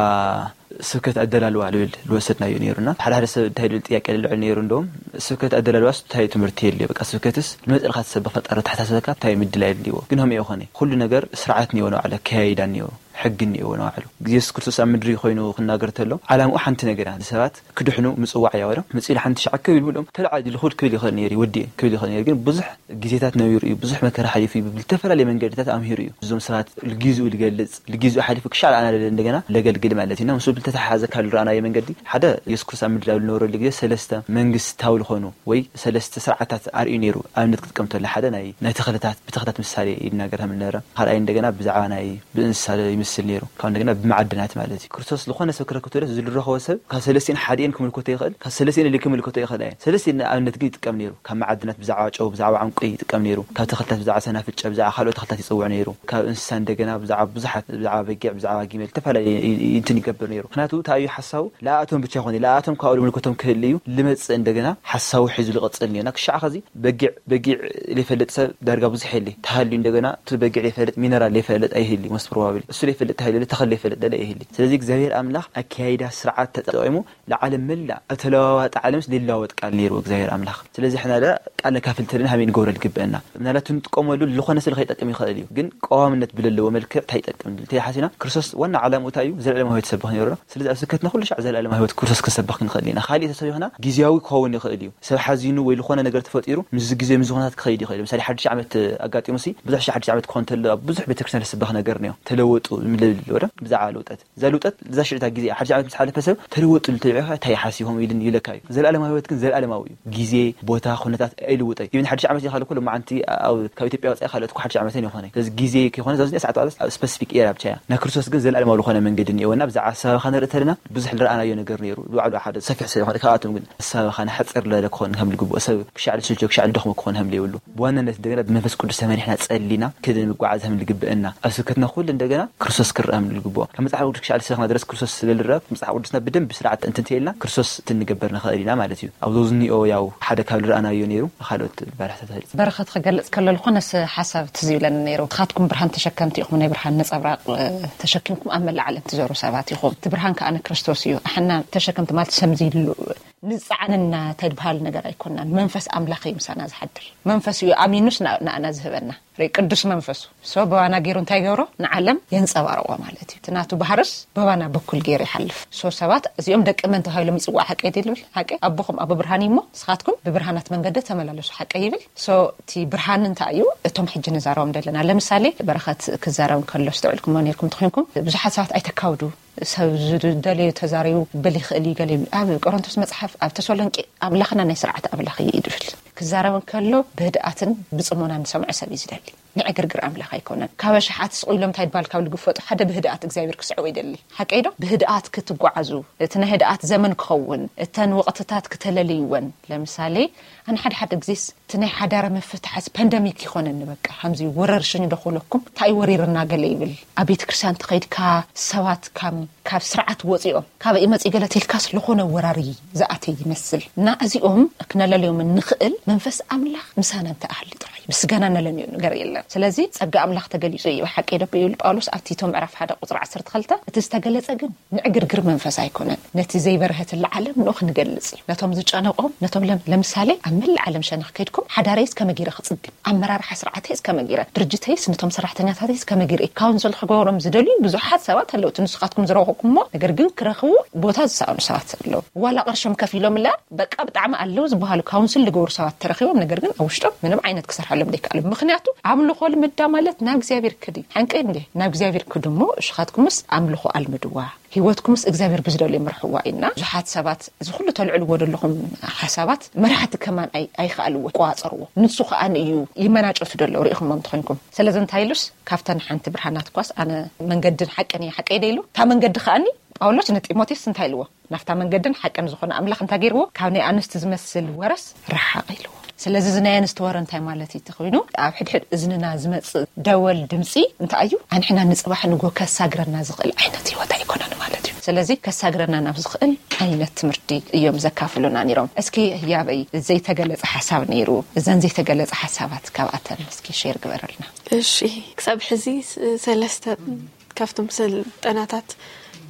ስብከት ኣደላልዋ ልብል ልወሰድናዮ ነይሩና። ሓደ ሓደ ሰብ እንታይ ልብል ጥያቄ ልልዕል ነይሩ። እንደውም ስብከት ኣደላልዋስ እንታይ ትምህርቲ የድልዮ? በቃ ስብከትስ ልመፅእልካ ትሰብኽ ፈጣሪ ተሓሳሰበካ እንታይ ምድላይ የድልይዎ? ግን ሆም የኾነ ኩሉ ነገር ስርዓት እኒኦ ንባዕሉ ኣከያይዳ እኒኦ ሕጊ እኒኦ ንባዕሉ። ኢየሱስ ክርስቶስ ኣብ ምድሪ ኮይኑ ክናገር ተሎ ዓላምኡ ሓንቲ ነገር እያ። ንሰባት ክድሕኑ ምፅዋዕ እያ። ወደ ምፅእ ሓንቲ ሸዓ ክብ ኢሉ ብሎም ተለዓዲ ልኹድ ክብል ይኽእል ነይሩ፣ ይወዲ ክብል ይኽእል ነይሩ። ግን ብዙሕ ግዜታት ነቢሩ እዩ፣ ብዙሕ መከራ ሓሊፉ እዩ፣ ብዝተፈላለየ መንገድታት ኣምሂሩ እዩ። እዞም ሰባት ልጊዝኡ ልገልጽ፣ ልጊዝኡ ሓሊፉ ክሻዕ ኣና ለለ እንደገና ለገልግል ማለት እዩ። እና ምስሉ ልተተሓሓዘ ካብ ልረኣናዮ መንገዲ ሓደ ኢየሱስ ክርስቶስ ኣብ ምድር ኣብ ልነበረሉ ግዜ ሰለስተ መንግስታዊ ልኾኑ ወይ ሰለስተ ስርዓታት ኣርእዩ ነይሩ። ኣብነት ክትጥቀም ተሎ ሓደ ናይ ናይ ተኽልታት ብተኽልታት ምሳሌ ይናገር ከም ልነበረ፣ ካልኣይ እንደገና ብዛዕባ ናይ ብእንስሳ ይምስል ነይሩ። ካብ እንደገና ብመዓድናት ማለት እዩ። ክርስቶስ ዝኾነ ሰብ ክረክብ ተሎ ዝልረኸቦ ሰብ ካብ ሰለስቲን ሓዲኤን ክምልከቶ ይኽእል፣ ካብ ሰለስቲን ኢሉ ክምልከቶ ይኽእል ኣየን። ሰለስቲን ንኣብነት ግን ይጥቀም ነይሩ። ካብ መዓድናት ብዛዕባ ጨው፣ ብዛዕባ ዕንቁ ይጥቀም ነይሩ። ካብ ተኽልታት ብዛዕባ ሰናፍጨ፣ ብዛዕባ ካልኦት ተኽልታት ይጽውዕ ነይሩ። ካብ እንስሳ እንደገና ብዛዕባ ብዙሓት፣ ብዛዕባ በጊዕ፣ ብዛዕባ ጊመል፣ ዝተፈላለየ ይ- ይ- እንትን ይገብር ነይሩ። ምክንያቱ እንታይ እዩ ሓሳቡ? ለኣቶም ብቻ ይኾነ፣ ለኣቶም ካብኡ ምልከቶም ክህል እዩ። ልመጽእ እንደገና ሓሳቡ ሒዙ ልቐጽል ነይሩ። እና ክሻዕ ኸዚ በጊዕ፣ በጊዕ ዘይፈልጥ ሰብ ዳርጋ ብዙሕ የለ። ተሃልዩ እንደገና እቲ በጊዕ ዘይፈልጥ፣ ሚነራል ዘይፈልጥ ኣይህሊ፣ most probably። እሱ ዘይፈልጥ ተሃልዩ፣ ተኽሊ ዘይፈልጥ ደለ ኣይህሊ። ስለዚ እግዚኣብሔር ኣምላኽ ኣካይዳ ስርዓት ተጠቂሙ ንዓለም መላእ ኣብ ተለዋዋጢ ዓለምስ ሊለዋወጥ ቃል ነይሩ እግዚኣብሔር ኣምላኽ። ስለዚ ሕና ደ ቃል ነካፍል ተለና ሃበይ ንገብሮ ልግበአና? ምናልባት ንጥቀመሉ ዝኾነ ስለ ከይጠቅም ይኽእል እዩ፣ ግን ቀዋምነት ብለለዎ መልክዕ እንታይ ይጠቅም? እንታይ ሓሲና ክርስቶስ ዋና ዓላምኡ እንታይ እዩ? ዘለዓለማዊ ህይወት ሰብኽ ነይሩ። ስለዚ ኣብ ስብከትና ኩሉ ሻዕ ዘለዓለማዊ ህይወት ክርስቶስ ክንሰብኽ ክንኽእል ኢና። ካሊእ ተሰቢኽና ግዜያዊ ክኸውን ይኽእል እዩ። ሰብ ሓዚኑ ወይ ዝኾነ ነገር ተፈጢሩ ምስዚ ግዜ ምስዚ ኩነታት ክኸይድ ይኽእል እዩ። ምሳሌ ሓድሽ ዓመት ኣጋጢሙ ሲ ብዙሕ ሺ ሓድሽ ዓመት ክኾን ተሎ ኣብ ብዙሕ ቤተክርስትያን ዝስበኽ ነገር ነዮ። ተለወጡ ምልብል ወደ ብዛዕባ ለውጠት እዛ ልውጠት እዛ ሽዕታ ግዜ ሓድሽ ዓመት ምስ ሓለፈ ሰብ ተለወጡ ልትልዕኻ እንታይ ሓሲቦም ኢልን ይለካ እዩ። ዘለዓለማዊ ህይወት ግን ዘለዓለማዊ እዩ። ግዜ፣ ቦታ፣ ኩነታት ኣይልውጠ እዩ። ሓድሽ ዓመት ይኻል እኮ ሎማዓንቲ ኣብ ካብ ኢትዮጵያ ወፃኢ ካልኦት እኮ ሓድሽ ዓመተን ይኾነ። ስለዚ ግዜ ከይኾነ ዛዚ ሰዓት ኣብ ስፐሲፊክ ኤራ ብቻ እያ። ናይ ክርስቶስ ግን ዘለዓለማዊ ዝኾነ መንገዲ እኒኦና ብዛዕባ ኣሰባብኻ ንርኢ ተለና ብዙሕ ዝረኣናዮ ነገር ነይሩ። ባዕሉ ሓደ ሰፊሕ ስለ ዝኾነ ካብኣቶም ግን ኣሰባብኻ ንሓፅር ለለ ክኾን ከም ልግብኦ ሰብ ክሻዕ ልስልቾ ክሻዕ ልደኽሞ ክኾን ከም ዘይብሉ ብዋናነት እንደገና ብመንፈስ ቅዱስ ተመሪሕና ጸሊና ክድን ምጓዓዝ ከም ልግብእና ኣብ ስብከትና ኩሉ እንደገና ክርስቶስ ክረአ ከም ልግብኦ ካብ መጽሓፍ ቅዱስ ክሻዕ ልስለኽና ድረስ ክርስቶስ ስለ ልረአ መጽሓፍ ቅዱስና ብደንብ ስርዓት እንትንተየልና ክርስቶስ ትንገበር ንኽእል ኢና ማለት እዩ። ኣብ ዞዝኒኦ ያው ሓደ ካብ ልረኣናዮ ነይሩ ካልኦት ባርሕታት በረኸት ክገልጽ ከሎ ዝኾነ ሓሳብ ትዝ ይብለኒ ነይሩ። ንስኻትኩም ብርሃን ተሸከምቲ ኢኹም፣ ናይ ብርሃን ነጸብራቕ ተሸኪምኩም ኣብ መላእ ዓለም ትዞሩ ሰባት ኢኹም። እቲ ብርሃን ከኣ ንክርስቶስ እዩ። ኣሕና ተሸከምቲ ማለት ሰምዚ ንፀዓንና እንታይ ዝበሃል ነገር ኣይኮናን። መንፈስ ኣምላኽ እዩ ምሳና ዝሓድር። መንፈስ እዩ ኣሚኑስ ንኣና ዝህበና ርኢ ቅዱስ መንፈሱ። ሶ በባና ገይሩ እንታይ ገብሮ ንዓለም የንፀባርቆ ማለት እዩ። እቲ ናቱ ባህርስ በባና በኩል ገይሩ ይሓልፍ። ሶ ሰባት እዚኦም ደቂ መን ተባሂሎም ይፅዋዕ ሓቂ ድልብል ሓቂ ኣቦኹም ኣቦ ብርሃን እዩሞ ንስኻትኩም ብብርሃናት መንገዲ ተመላለሱ ሓቂ ይብል። ሶ እቲ ብርሃን እንታይ እዩ? እቶም ሕጂ ንዛረቦም ዘለና ለምሳሌ በረኸት ክዛረብ ከሎ ስተውዕልኩሞ ነርኩም ትኮንኩም ብዙሓት ሰባት ኣይተካውዱ ሰብ ዝደለዩ ተዛሪቡ ክብል ይኽእል እዩ። ገለ ኣብ ቆሮንቶስ መፅሓፍ ኣብ ተሰሎንቄ ኣምላኽና ናይ ስርዓት ኣምላኽ እዩ ይድብል ክዛረብ እንከሎ ብህድኣትን ብፅሞና ንሰምዖ ሰብ እዩ ዝደሊ። ንዕግርግር ኣምላኽ ኣይኮነን። ካብ ኣሽሓት ስቕ ኢሎም እንታይ ድባል ካብ ዝግፈጡ ሓደ ብህድኣት እግዚኣብሔር ክስዕቦ ይደሊ። ሓቀይ ዶ? ብህድኣት ክትጓዓዙ እቲ ናይ ህድኣት ዘመን ክኸውን እተን ወቕትታት ክተለልይወን። ለምሳሌ ኣነ ሓደ ሓደ ግዜስ እቲ ናይ ሓዳረ ምፍትሓስ ፓንደሚክ ይኾነኒ በቃ ከምዚ ወረርሽኝ ዶ ክብለኩም እንታይ ወሪርና ገለ ይብል ኣብ ቤተ ክርስቲያን ተኸይድካ ሰባት ካብ ካብ ስርዓት ወፂኦም ካበይ መፂ ገለ ተልካስ ዝኾነ ወራሪ ዝኣተ ይመስል እና እዚኦም ክነለልዮም ንኽእል መንፈስ ኣምላኽ ምሳና እንተኣሃሊ ጥራይ ብስጋና ነለንዮ ነገር የለን። ስለዚ ጸጋ ኣምላኽ ተገሊጹ እዩ ብሓቂ ደብ ይብል ጳውሎስ ኣብ ቲቶ ምዕራፍ ሓደ ቁጽሪ ዓሰርተ ክልተ እቲ ዝተገለጸ ግን ንዕግርግር መንፈስ ኣይኮነን። ነቲ ዘይበርሀትላ ዓለም ንኡ ክንገልጽ እዩ። ነቶም ዝጨነቆም ነቶም ለም ለምሳሌ ኣብ መላእ ዓለም ሸነኽ ከድኩም ሓዳረይስ ከመጊረ ክጽግን ኣመራርሓ ስርዓተይስ ከመጊረ ድርጅተይስ ነቶም ሰራሕተኛታተይስ ከመጊረ ካውንስል ክገብሮም ዝደልዩ ብዙሓት ሰባት ኣለዉ። እቲ ንስኻትኩም ዝረኸኩሞ ነገር ግን ክረኽቡ ቦታ ዝሰኣኑ ሰባት ኣለዉ። ዋላ ቅርሾም ከፊሎም ላ በቃ ብጣዕሚ ኣለዉ ዝበሃሉ ካውንስል ዝገብሩ ሰባት ተረኺቦም ነገር ግን ኣብ ውሽጦም ምንም ዓይነት ክሰርሐሎም ዘይከኣሉ። ምኽንያቱ ኣምልኾ ልምዳ ማለት ናብ እግዚኣብሔር ክድ እዩ። ሓንቀይ እንዴ ናብ እግዚኣብሔር ክድ እሞ እሽኻትኩምስ ኣምልኾ ኣልምድዋ። ህይወትኩምስ እግዚኣብሔር ብዝደልዮ ምርሕዋ ኢልና ብዙሓት ሰባት እዚ ኩሉ ተልዕልዎ ዘለኹም ሓሳባት መራሕቲ ከማን ኣይከኣልዎ ይቋፀርዎ። ንሱ ከኣን እዩ ይመናጨቱ ደሎ ርኢኹሞ እንተኾይንኩም። ስለዚ እንታይ ኢሉስ ካብተን ሓንቲ ብርሃናት ኳስ ኣነ መንገድን ሓቅን እየ ሓቀይ ደ ኢሉ እታ መንገዲ ከኣኒ ጳውሎስ ንጢሞቴዎስ እንታይ ኢልዎ ናብታ መንገድን ሓቅን ዝኾነ ኣምላኽ እንታይ ገይርዎ ካብ ናይ ኣንስቲ ዝመስል ወረስ ረሓቕ ኢልዎ። ስለዚ እዚ ናይ ኣንስቲ ወረ እንታይ ማለት እዩ ተኾይኑ ኣብ ሕድሕድ እዝንና ዝመፅእ ደወል ድምፂ እንታይ እዩ ኣንሕና ንፅባሕ ንጎ ከሳግረና ዝኽእል ዓይነት ህይወት ኣይኮነን ማለት እዩ። ስለዚ ከሳግረና ናብ ዝኽእል ዓይነት ትምህርቲ እዮም ዘካፍሉና ነይሮም። እስኪ ህያበይ ዘይተገለፀ ሓሳብ ነይሩ እዘን ዘይተገለፀ ሓሳባት ካብኣተን እስኪ ሼር ግበረልና። እሺ ክሳብ ሕዚ ሰለስተ ካብቶም ስልጠናታት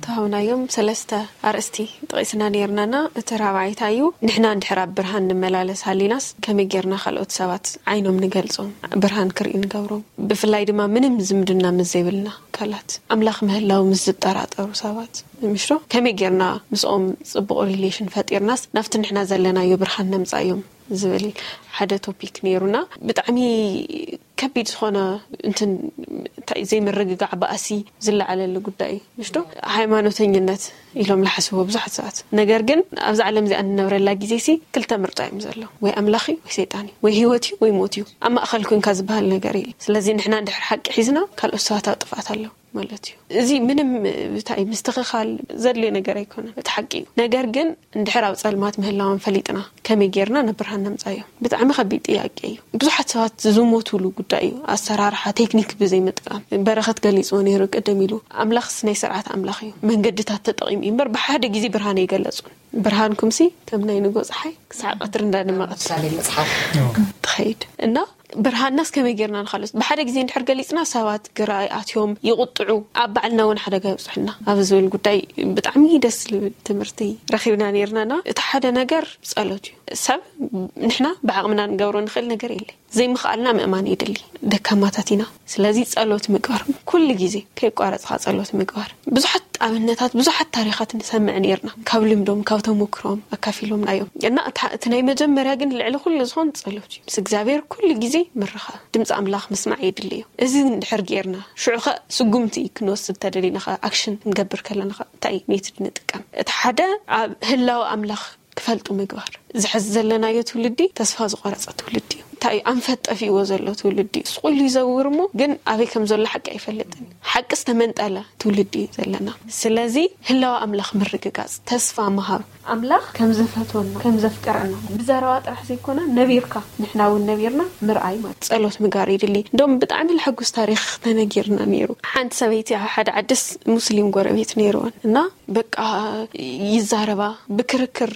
ተሃውናዮም ሰለስተ ኣርእስቲ ጠቒስና ነይርናና። እቲ ራብዓይታ እዩ፣ ንሕና እንድሕር ኣብ ብርሃን ንመላለስ ሃሊናስ ከመይ ጌርና ካልኦት ሰባት ዓይኖም ንገልጾም፣ ብርሃን ክርኢ ንገብሮም? ብፍላይ ድማ ምንም ዝምድና ምስ ዘይብልና ኣካላት፣ ኣምላኽ ምህላው ምስ ዝጠራጠሩ ሰባት፣ ምሽዶ ከመይ ጌርና ምስኦም ጽቡቕ ሪሌሽን ፈጢርናስ ናብቲ ንሕና ዘለናዮ ብርሃን ነምጻዮም ዝብል ሓደ ቶፒክ ነይሩና። ብጣዕሚ ከቢድ ዝኾነ እንትን እንታይ ዘይምርግጋዕ ባእሲ ዝለዓለሉ ጉዳይ እዩ። ምሽዶ ሃይማኖተኝነት ኢሎም ለሓስዎ ብዙሓት ሰባት። ነገር ግን ኣብዚ ዓለም እዚኣ እንነብረላ ግዜ ሲ ክልተ ምርጫ እዮም ዘለዉ። ወይ ኣምላኽ እዩ ወይ ሰይጣን እዩ። ወይ ህይወት እዩ ወይ ሞት እዩ። ኣብ ማእኸል ኮንካ ዝበሃል ነገር የለ። ስለዚ ንሕና እንድሕር ሓቂ ሒዝና ካልኦት ሰባት ኣብ ጥፍኣት ኣለዉ ማለት እዩ። እዚ ምንም እንታይ ምስትኽኻል ዘድልዮ ነገር ኣይኮነን። እቲ ሓቂ እዩ። ነገር ግን እንድሕር ኣብ ጸልማት ምህላውን ፈሊጥና ከመይ ጌርና ናብ ብርሃን ነምጻዮ? ብጣዕሚ ከቢድ ጥያቄ እዩ። ብዙሓት ሰባት ዝሞቱሉ ጉዳይ እዩ። ኣሰራርሓ ቴክኒክ ብዘይምጥቃም። በረኸት ገሊጽዎ ነይሩ ቅድም ኢሉ። ኣምላኽስ ናይ ስርዓት ኣምላኽ እዩ። መንገድታት ተጠቒሙ እዩ እምበር ብሓደ ግዜ ብርሃን ኣይገለጹን። ብርሃንኩምሲ ከም ናይ ንጎ ጸሓይ ክሳዕ ቀትሪ እንዳደመቐት ምሳሌ መጽሓፍ ትኸይድ እና ብርሃንናስ ከመይ ጌርና ንኻልኦት? ብሓደ ግዜ እንድሕር ገሊጽና ሰባት ግራ ኣትዮም ይቕጥዑ፣ ኣብ ባዕልና እውን ሓደጋ ይብጽሑና ኣብ ዝብል ጉዳይ ብጣዕሚ ደስ ዝብል ትምህርቲ ረኺብና ነይርናና። እቲ ሓደ ነገር ጸሎት እዩ። ሰብ ንሕና ብዓቕምና ንገብሮ ንኽእል ነገር የለ። ዘይምኽኣልና ምእማን የድሊ። ደካማታት ኢና። ስለዚ ጸሎት ምግባር፣ ኩሉ ግዜ ከይቋረጽካ ጸሎት ምግባር። ብዙሓት ኣብነታት፣ ብዙሓት ታሪኻት ንሰምዕ ነይርና። ካብ ልምዶም፣ ካብ ተሞክሮም ኣካፊሎምና እዮም። እና እታ- እቲ ናይ መጀመርያ ግን ልዕሊ ኩሉ ዝኾን ጸሎት እዩ። ምስ እግዚኣብሔር ኩሉ ግዜ ምርኻብ፣ ድምፂ ኣምላኽ ምስማዕ የድሊ እዩ። እዚ እንድሕር ጌርና፣ ሽዑ ኸ ስጉምቲ ክንወስድ ተደሊና ኸ፣ ኣክሽን ክንገብር ከለና ኸ እንታይ ሜትድ ንጥቀም? እቲ ሓደ ኣብ ህላወ ኣምላኽ ክፈልጡ ምግባር። ዝሕዝ ዘለናዮ ትውልዲ ተስፋ ዝቆረጸ ትውልዲ እዩ። እንታይ እዩ? ኣንፈት ጠፊእዎ ዘሎ ትውልዲ እዩ። ስቑሉ ይዘውር እሞ ግን ኣበይ ከም ዘሎ ሓቂ ኣይፈልጥን። ሓቂ ዝተመንጠለ ትውልዲ እዩ ዘለና። ስለዚ ህላወ ኣምላኽ ምርግጋጽ፣ ተስፋ ምሃብ፣ ኣምላኽ ከም ዘፈትወና ከም ዘፍቀረና ብዘረባ ጥራሕ ዘይኮነ ነቢርካ፣ ንሕና እውን ነቢርና ምርኣይ ማለት ጸሎት ምግባር ይድሊ። እንደውም ብጣዕሚ ለሐጉስ ታሪኽ ተነጊርና ነይሩ። ሓንቲ ሰበይቲ ኣብ ሓደ ዓድስ ሙስሊም ጎረቤት ነይርወን እና በቃ ይዛረባ፣ ብክርክር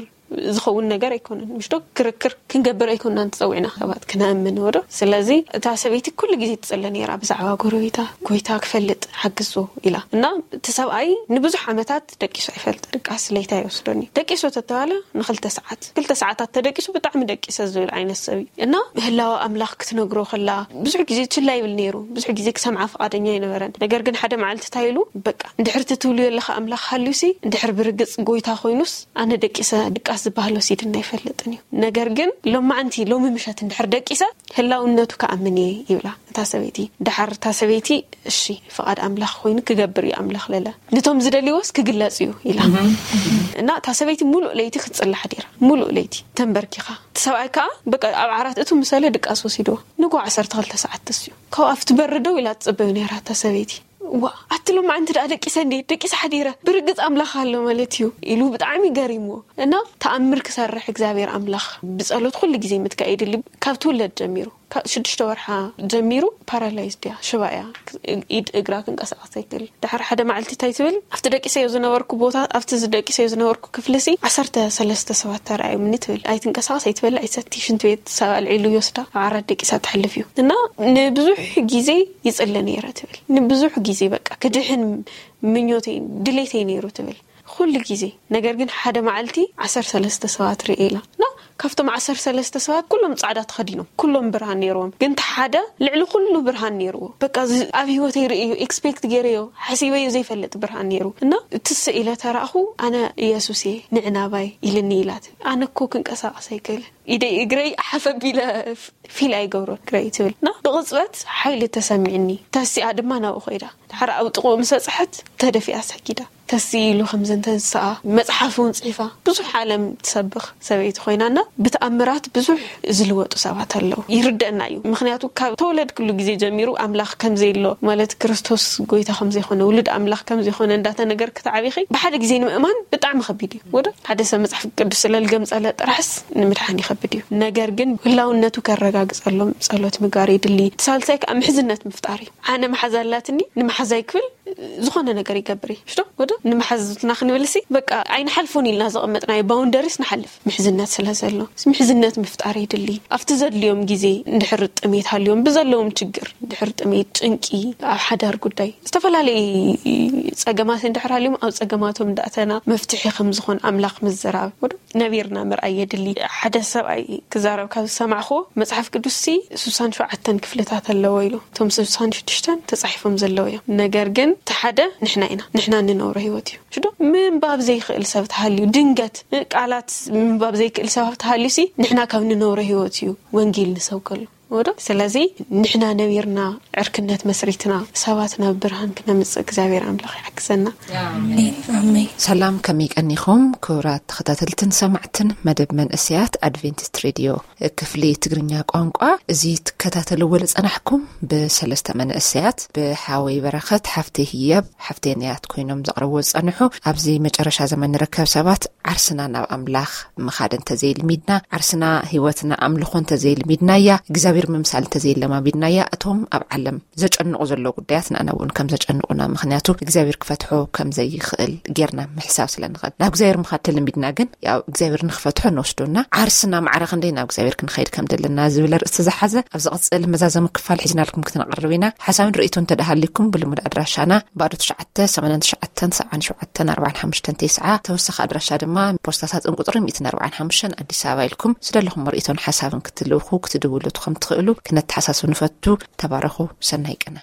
ዝኸውን ነገር ኣይኮነን። ምሽዶ ክርክር ክንገብር ኣይኮናን ተጸዊዕና ሰባት ክነእምን ወዶ። ስለዚ እታ ሰበይቲ ኩሉ ግዜ ትጽለ ነይራ ብዛዕባ ጎረቤታ፣ ጎይታ ክፈልጥ ሓግዞ ኢላ። እና እቲ ሰብኣይ ንብዙሕ ዓመታት ደቂሱ ኣይፈልጥ። ድቃስ ለይታ ይወስዶኒ። ደቂሱ ተተባለ ንክልተ ሰዓት፣ ክልተ ሰዓታት ተደቂሱ ብጣዕሚ ደቂሰ ዝብል ዓይነት ሰብ እዩ። እና ህላወ ኣምላኽ ክትነግሮ ከላ ብዙሕ ግዜ ችላ ይብል ነይሩ። ብዙሕ ግዜ ክሰምዓ ፍቓደኛ ኣይነበረን። ነገር ግን ሓደ መዓልቲ እንታይ ኢሉ፣ በቃ እንድሕር ትትብልዮ ኣለኻ ኣምላኽ ሃልዩሲ፣ እንድሕር ብርግጽ ጎይታ ኮይኑስ፣ ኣነ ደቂሰ ድቃስ ዝበሃል ወሲድና ኣይፈልጥን እዩ። ነገር ግን ሎማዓንቲ፣ ሎሚ ምሸት እንድሕር ደቂሰ ህላውነቱ ክኣምን እየ ይብላ እታ ሰበይቲ። ደሓር እታ ሰበይቲ እሺ ፍቓድ ኣምላኽ ኮይኑ ክገብር እዩ ኣምላኽ ለለ። ነቶም ዝደልይዎስ ክግለጽ እዩ ኢላ። እና እታ ሰበይቲ ሙሉእ ለይቲ ክትጽሊ ሓዲራ። ሙሉእ ለይቲ ተንበርኪኻ። እቲ ሰብኣይ ከኣ በቃ ኣብ ዓራት እቱ ምሰለ ድቃስ ወሲድዎ። ንጎ ዓሰርተ ክልተ ሰዓት ተስዩ። ካብኡ ኣብቲ በሪ ደው ኢላ ትጽበዩ ነይራ እታ ሰበይቲ። ዋ ኣቲ ሎማዓንቲ ደኣ ደቂሰ እንዴ ደቂሰ ሓዲረ ብርግጽ ኣምላኽ ኣሎ ማለት እዩ ኢሉ ብጣዕሚ ገሪምዎ። እና ተኣምር ክሰርሕ እግዚኣብሔር ኣምላኽ ብጸሎት ኩሉ ግዜ ምትካእ የድሊ። ካብ ትውለድ ጀሚሩ ካብ ሽዱሽተ ወርሓ ጀሚሩ ፓራላይዝድ እያ፣ ሽባ እያ። ኢድ እግራ ክንቀሳቐስ ኣይክእል። ድሓር ሓደ መዓልቲ እንታይ ትብል፣ ኣብቲ ደቂሰዮ ዝነበርኩ ቦታ ኣብቲ ደቂሰዮ ዝነበርኩ ክፍልሲ ዓሰርተ ሰለስተ ሰባት ተረኣዩምኒ ትብል። ኣይትንቀሳቐስ፣ ኣይትበልዕ፣ ኣይትሰቲ፣ ሽንቲ ቤት ሰብ ኣልዒሉ ይወስዳ፣ ኣብ ዓራት ደቂሳ ትሕልፍ እዩ። እና ንብዙሕ ግዜ ይጽሊ ነይረ ትብል። ንብዙሕ ግዜ በቃ ክድሕን ምኞተይ ድሌተይ ነይሩ ትብል ኩሉ ግዜ። ነገር ግን ሓደ መዓልቲ ዓሰርተ ሰለስተ ሰባት ርእየ ኢላ። እና ካብቶም ዓሰርተ ሰለስተ ሰባት ኩሎም ጻዕዳ ተኸዲኖም፣ ኩሎም ብርሃን ነይርዎም። ግን እቲ ሓደ ልዕሊ ኩሉ ብርሃን ነይርዎ። በቃ እዚ ኣብ ህይወተይ ርእዮ፣ ኤክስፔክት ገይረዮ፣ ሓሲበዮ ዘይፈልጥ ብርሃን ነይሩ። እና እቲ ስኢለ ተራእኹ፣ ኣነ ኢየሱስ እየ፣ ንዕ ናባይ ኢልኒ ኢላት። ኣነ እኮ ክንቀሳቐስ ኣይክእልን። ኢደይ እግረይ ሓፍ ኣቢለ ፊል ኣይገብሮን እግረይ ትብል። እና ብቕጽበት ሓይሊ ተሰሚዕኒ። ተሲኣ ድማ ናብኡ ኸይዳ። ድሓር ኣብ ጥቕኡ ምስ በጽሐት ተደፊኣ ሰጊዳ። ተስኢ ኢሉ ከም ዘንተንስኣ መጽሓፍ እውን ጽሒፋ ብዙሕ ዓለም ትሰብኽ ሰበይቲ ኮይናና ብተኣምራት ብዙሕ ዝልወጡ ሰባት ኣለዉ። ይርደአና እዩ። ምኽንያቱ ካብ ተወለድክሉ ግዜ ጀሚሩ ኣምላኽ ከም ዘይሎ ማለት ክርስቶስ ጎይታ ከም ዘይኮነ ውሉድ ኣምላኽ ከም ዘይኮነ እንዳተነገር ክትዓቢኺ ብሓደ ግዜ ንምእማን ብጣዕሚ ከቢድ እዩ። ወደ ሓደ ሰብ መጽሓፍ ቅዱስ ስለ ልገምጸለ ጥራሕስ ንምድሓን ይኸብድ እዩ። ነገር ግን ህላውነቱ ከረጋግጸሎም ጸሎት ምግባር የድሊ። እቲ ሳልሳይ ከዓ ምሕዝነት ምፍጣር እዩ። ኣነ መሓዛ ኣላትኒ ንመሓዛይ ክብል ዝኾነ ነገር ይገብር እዩ። ሽቶ ወደ ንምሓዝትና ክንብልሲ በቃ ኣይንሓልፎን ኢልና ዘቐመጥናዮ ባውንደሪስ ንሓልፍ። ምሕዝነት ስለ ዘሎ ምሕዝነት ምፍጣር የድሊ። ኣብቲ ዘድልዮም ግዜ እንድሕር ጥሜት ሃልዮም ብዘለዎም ችግር እንድሕር ጥሜት፣ ጭንቂ፣ ኣብ ሓዳር ጉዳይ ዝተፈላለዩ ጸገማት እንድሕር ሃልዮም ኣብ ጸገማቶም እንዳእተና መፍትሒ ከም ዝኾን ኣምላኽ ምዝራብ ወዶ ነቢርና ምርኣይ የድሊ። ሓደ ሰብኣይ ክዛረብ ካብ ዝሰማዕኹ መጽሓፍ ቅዱስሲ ስሳን ሸውዓተን ክፍልታት ኣለዎ ኢሉ። እቶም ስሳን ሽዱሽተን ተጻሒፎም ዘለዉ እዮም። ነገር ግን እቲ ሓደ ንሕና ኢና። ንሕና እንነብሮ ህይወት እዩ። ሽዶ ምንባብ ዘይክእል ሰብ ተሃልዩ ድንገት ቃላት ምንባብ ዘይክእል ሰብ ተሃልዩ ሲ ንሕና ካብ ንነብሮ ህይወት እዩ ወንጌል ንሰብከሉ። ወዶ ስለዚ ንሕና ነቢርና ዕርክነት መስሪትና ሰባት ናብ ብርሃን ክነምጽእ እግዚኣብሔር ኣምላኽ ይሓግዘና። ኣሜን። ሰላም ከመይ ቀኒኹም ክቡራት ተኸታተልትን ሰማዕትን መደብ መንእሰያት ኣድቬንቲስት ሬድዮ ክፍሊ ትግርኛ ቋንቋ። እዚ ትከታተልዎ ዝጸናሕኩም ብሰለስተ መንእሰያት ብሓወይ በረኸት፣ ሓፍተይ ህያብ፣ ሓፍተይ ነያት ኮይኖም ዘቕርብዎ ዝጸንሑ። ኣብዚ መጨረሻ ዘመን ንርከብ ሰባት ዓርስና ናብ ኣምላኽ ምኻድ እንተዘይልሚድና፣ ዓርስና ህይወትና ኣምልኾ እንተዘይልሚድናያ፣ እግዚኣብሔር ምምሳል እንተዘይለማሚድናያ፣ እቶም ኣብ ዓለም ዘጨንቑ ዘሎ ጉዳያት ንኣና እውን ከም ዘጨንቑና፣ ምኽንያቱ እግዚኣብሔር ክፈትሖ ከም ዘይኽእል ጌርና ምሕሳብ ስለ ንኽእል። ናብ እግዚኣብሔር ምኻድ ተለሚድና ግን ያው እግዚኣብሔር ንክፈትሖ ንወስዶና ዓርስና ማዕረ ክንደይ ናብ እግዚኣብሔር ክንኸይድ ከም ዘለና ዝብል ርእስቲ ዝሓዘ ኣብ ዝቕጽል መዛዘሚ ክፋል ሒዝናልኩም ክትነቕርብ ኢና። ሓሳብን ርእይቶ እንተደሃሊኩም ብልሙድ ኣድራሻና ባዶ ትሽዓተ ሰማንያን ትሽዓተን ሰብዓን ሸውዓተን ኣርባዓን ሓሙሽተን ተስዓ፣ ተወሳኺ ኣድራሻ ድማ ፖስታ ሳጥን ቁጽሪ ሚእትን ኣርባዓን ሓሙሽተን ኣዲስ ኣበባ ኢልኩም ዝደለኹም ርእይቶን ሓሳብን ክትልእኹ ክትድውሉ ከም ትኽእሉ ክነተሓሳስብ ንፈቱ። ተባረኹ። ሰናይ ቅነ።